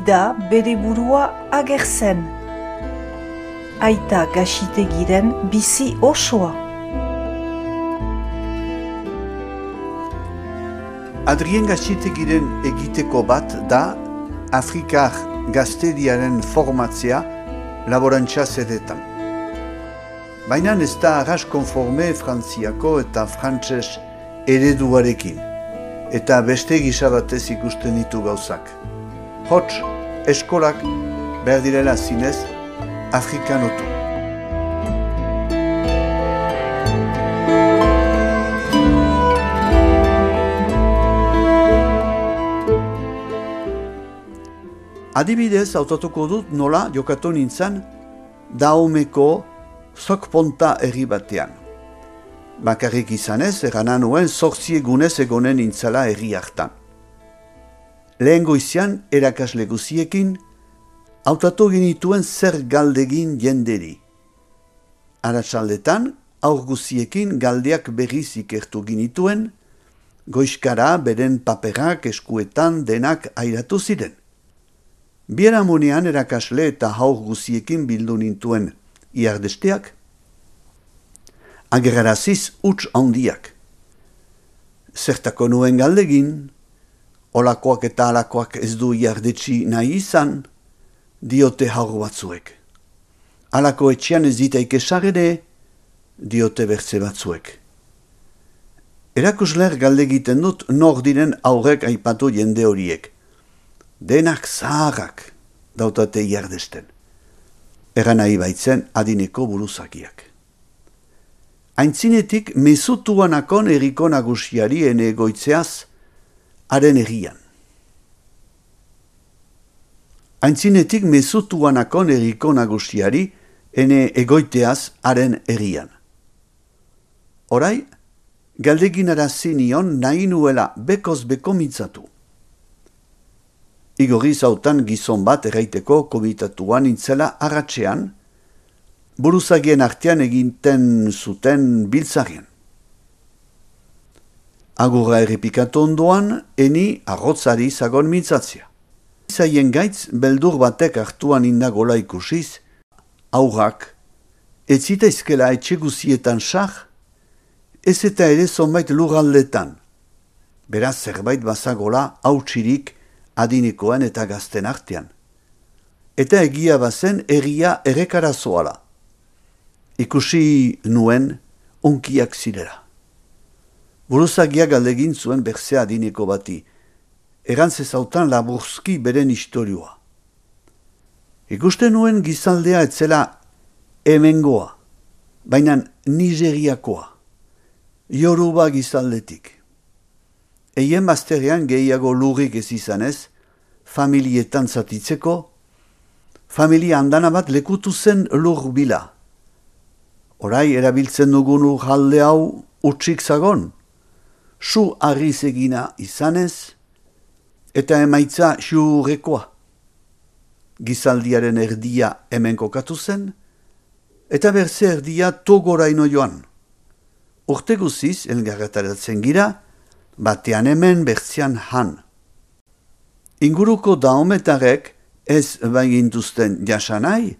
da bere burua agertzen. Aita Gaxitegiren bizi osoa. Adrien Gaxitegiren egiteko bat da Afrikar gazteriaren formatzea laborantza zedetan. Baina ez da arras konforme frantziako eta frantses ereduarekin, eta beste gisa batez ikusten ditu gauzak. Hots, eskolak behar direla zinez afrikanotu. Adibidez, hautatuko dut nola jokatu nintzen Daomeko Zokponta herri batean. Bakarrik izanez, eranan nuen 8 egunez egonen nintzala herri hartan. Lehen goizian, erakasle guziekin, hautatu genituen zer galdegin jenderi. Arratsaldetan, aur guziekin galdeak berriz ikertu genituen, goizkara beren paperak eskuetan denak airatu ziren. Biharamunean erakasle eta haur guziekin bildu nintuen iardesteak, ageraraziz huts handiak. Zertako nuen galdegin, olakoak eta alakoak ez du iardetsi nahi izan, diote haur batzuek. Alako etxean ez ditaik esagere, diote bertze batzuek. Erakusler galdegiten dut nor diren aurrek aipatu jende horiek. Denak zaharrak dautate iardesten. Eran nahi baitzen adineko buruzakiak. Aintzinetik mezutuanakon erriko nagusiari ene egoitzeaz haren herrian. Aintzinetik mezutuanakon erriko nagusiari ene egoiteaz haren herrian. Orai, galdegin arazi nion nahi nuela bekoz beko mintzatu. Igorri zautan gizon bat erraiteko komitatuan nintzela arratsean, buruzagien artean eginten zuten biltzarien. Agurra errepikatu ondoan, eni arrotzari zagon mintzatzea. Zaien gaitz, beldur batek hartuan indagola ikusiz, aurrak, ez zitaizkela etxeguzietan sar, ez eta ere zonbait lurraldetan. Beraz zerbait bazagola hautsirik adinekoan eta gazten artean. Eta egia bazen herria errekara zoala. Ikusi nuen onkiak zirela. Buruzagia galdegin zuen berzea adineko bati. Erantzezautan laburzki beren istorioa. Ikusten nuen gizaldea etzela hemengoa, baina Nigeriakoa, Yoruba gizaldetik. Eien bazterrean gehiago lurrik ez izanez, familietan zatitzeko, familia handana bat lekutu zen lur bila. Orai erabiltzen dugun lurralde hau utxik zagon, su harriz egina izanez, eta emaitza xurrekoa. Gizaldiaren erdia hemen kokatu zen, eta berze erdia togoraino joan. Urte guziz, elgarretaratzen gira, batean hemen bertzean han. Inguruko daometarek ez baigintuzten jasanai,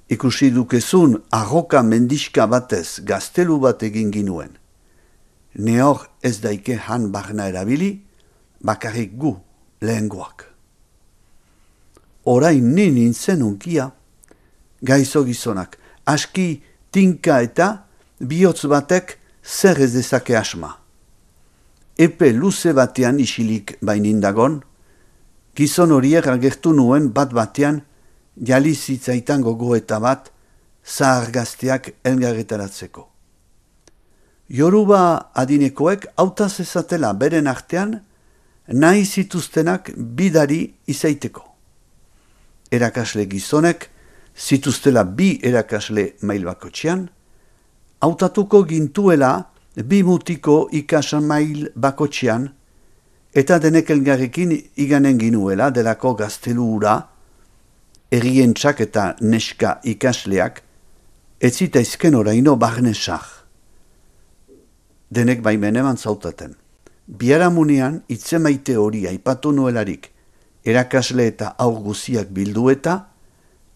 ikusi dukezun arroka mendiska batez gaztelu bat egin ginuen. Nehor ez daike han barna erabili, bakarrik gu lehengoak. Orain ni nintzen unkia, gaizo gizonak, aski tinka eta bihotz batek zer ez dezake asma. Epe luze batean isilik bainindagon, gizon horiek agertu nuen bat batean jali zitzaitan gogoeta bat zahar gazteak elgarretaratzeko. Yoruba adinekoek hautaz ezatela beren artean nahi zituztenak bidari izaiteko. Erakasle gizonek zituztela bi erakasle mail bakotxean, hautatuko gintuela 2 mutiko ikasan mail bakotxean, eta denek elgarrekin iganen ginuela delako gaztelu hura, errientxak eta neska ikasleak, ez zitaizken oraino barnesak. Denek baimen eman zautaten. Biharamunean itzemaite hori aipatu nuelarik, Erakasle eta haur guziak bildu eta,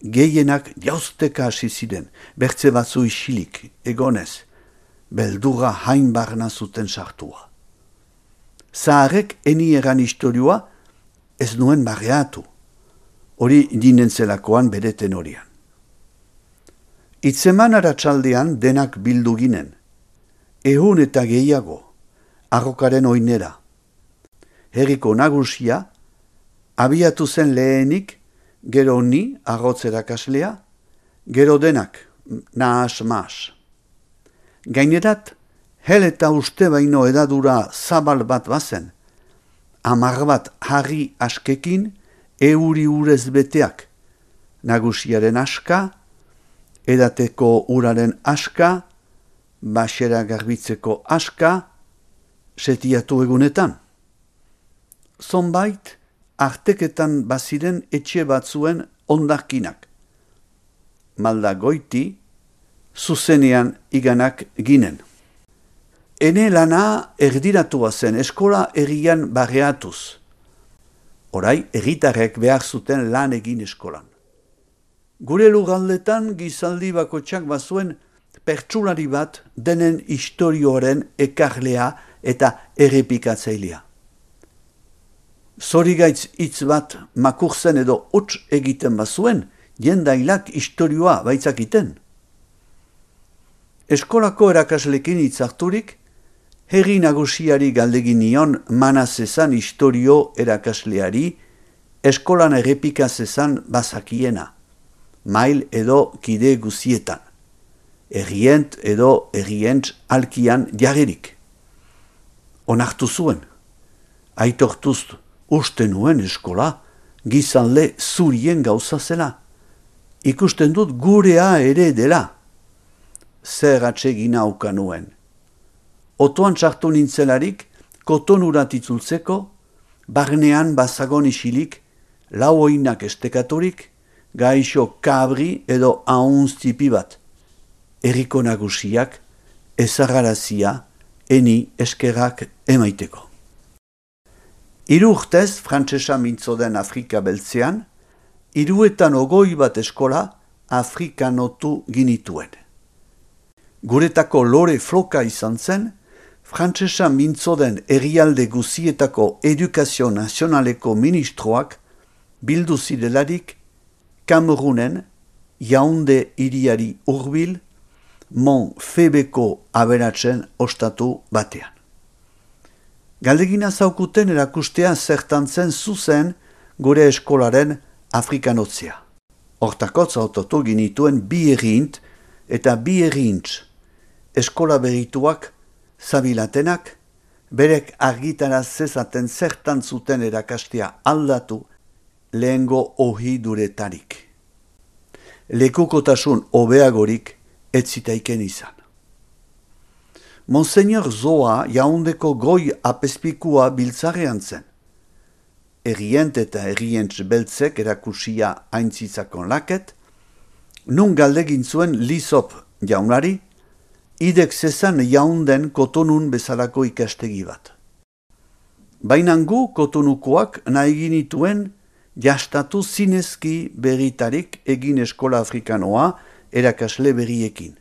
gehienak jauzteka hasi ziren, bertze batzu isilik, egonez, beldurra hain barna zuten sartua. Zaharek eni eran istorioa ez nuen barreatu, hori dinentzelakoan bere tenorian. Itzeman aratsaldean denak bildu ginen, ehun eta gehiago, arrokaren oinera. Herriko nagusia, abiatu zen lehenik, gero ni, arrotz erakaslea, gero denak, nahas-mahas. Gainerat, hel eta uste baino edadura zabal bat bazen, 10 bat harri askekin, euri urez beteak, nagusiaren aska, edateko uraren aska, basera garbitzeko aska, setiatu egunetan. Zonbait, arteketan baziren etxe batzuen ondarkinak. Malda goiti, zuzenean iganak ginen. Ene lana erdiratua zen eskola herrian barreatuz. Orai, herritarrek behar zuten lan egin eskolan. Gure lurraldetan gizaldi bakotxak bazuen pertsulari bat denen istorioaren ekarlea eta errepikatzailea. Zorigaitz hitz bat makurzen edo huts egiten bazuen, jendailak istorioa baitzakiten. Eskolako erakaslekin hitzarturik, herri nagusiari galdegin nion manazezan istorio erakasleari, eskolan errepikazezan bazakiena, mail edo kide guzietan, herrient edo herrientz alkian jarririk. Onartu zuen, aitortuz uste nuen eskola, gizanle zurien gauza zela. Ikusten dut gurea ere dela. Zer atsegina auka nuen. Otoan txartu nintzelarik, kotonurat itzultzeko, barnean bazagon isilik, lau oinak estekaturik, gaixo kabri edo ahunz tipi bat. Herriko nagusiak, ezagarazia, eni eskerrak emaiteko. 3 urtez frantsesa mintzo den Afrika beltzean, 320 bat eskola afrikanotu ginituen. Guretako lore floka izan zen, frantsesa mintzo den herrialde guzietako edukazio nazionaleko ministroak bildu zirelarik Kamerunen, Yaounde hiriari hurbil, Mont Febeko aberatzen ostatu batean. Galdegina zaukuten erakustea zertantzen zuzen gure eskolaren afrikanotzea. Hortakotz autotu ginituen 2 errint eta 2 errintz. Eskola berituak, zabilatenak, berek argitaraz zezaten zertan zuten erakastea aldatu lehengo ohiduretarik. Lekukotasun hobeagorik ez zitaiken izan. Monseñor Zoa Yaoundeko goi apezpikua biltzarean zen. Herrient eta herrientz beltzek erakusia aintzitzakon laket, nun galdegin zuen Lizop jaunari, idek zezan Yaounden kotonun bezalako ikastegi bat. Bainangu kotonukoak nahi ginituen jastatu zinezki berritarik egin eskola afrikanoa erakasle berriekin.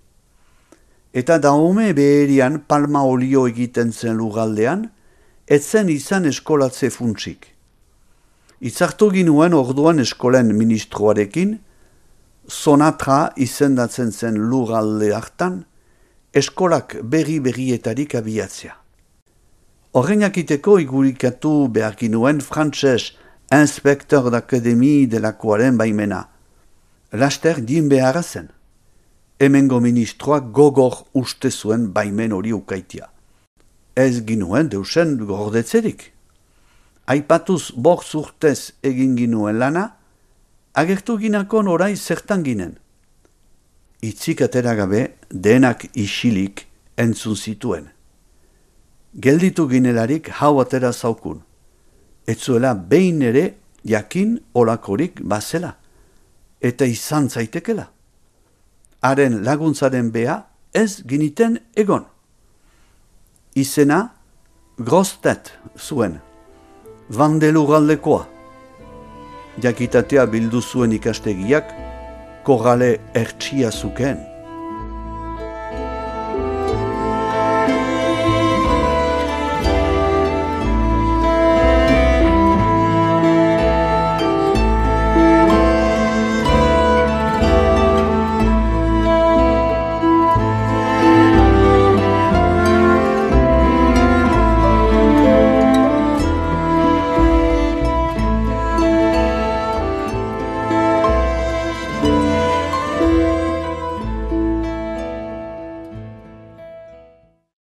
Eta daume beherian palma olio egiten zen lurraldean, etzen izan eskolatze funtsik. Itzartu ginuen orduan eskolen ministroarekin, Sonatra izendatzen zen lurralde hartan, eskolak berrietarik abiatzea. Horrenakiteko igurikatu behar ginuen frantses inspektor d'akademi delakoaren baimena. Laster din beharra zen. Hemengo ministroak gogor uste zuen baimen hori ukaitia. Ez ginuen deusen gordetzerik. Aipatuz 5 urtez egin ginuen lana, agertu ginakon orai zertan ginen. Itzik atera gabe denak isilik entzun zituen. Gelditu ginelarik hau atera zaukun. Etzuela behin ere jakin olakorik bazela. Eta izan zaitekela. Haren laguntzaren bea ez giniten egon. Izena Grostet zuen, Vandelurraldekoa. jakitatea bildu zuen ikastegiak, korrale ertsia zuken.